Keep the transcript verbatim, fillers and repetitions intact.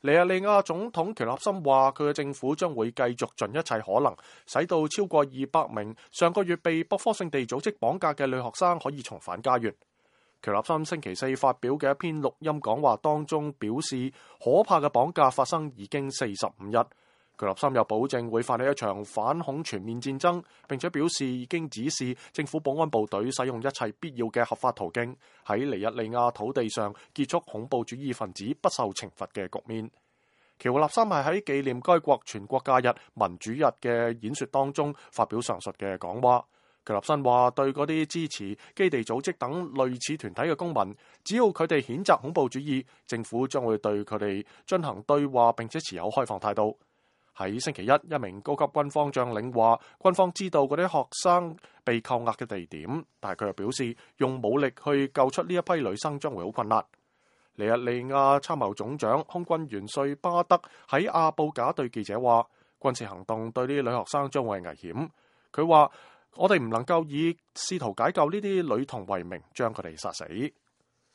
尼日利亞總統喬納森話：佢嘅政府將會繼續盡一切可能，使到超過二百名上個月被博科聖地組織綁架嘅女學生可以重返家園。喬納森星期四發表嘅一篇錄音講話當中表示，可怕嘅綁架發生已經四十五日。喬納森又保證會發起一場反恐全面戰爭，並且表示已經指示政府保安部隊使用一切必要嘅合法途徑，喺尼日利亞土地上結束恐怖主義分子不受懲罰嘅局面。喬納森係喺紀念該國全國假日民主日嘅演說當中發表上述嘅講話。喬納森話：對嗰啲支持基地組織等類似團體嘅公民，只要佢哋譴責恐怖主義，政府將會對佢哋進行對話，並且持有開放態度。喺星期一，一名高級軍方將領話，軍方知道嗰啲學生被扣押嘅地點，但係佢又表示，用武力去救出呢一批女生將會好困難。尼日利亞參謀總長空軍元帥巴德喺阿布賈對記者話，軍事行動對呢啲女學生將會危險。佢話：我哋唔能夠以試圖解救呢啲女童為名將佢哋殺死。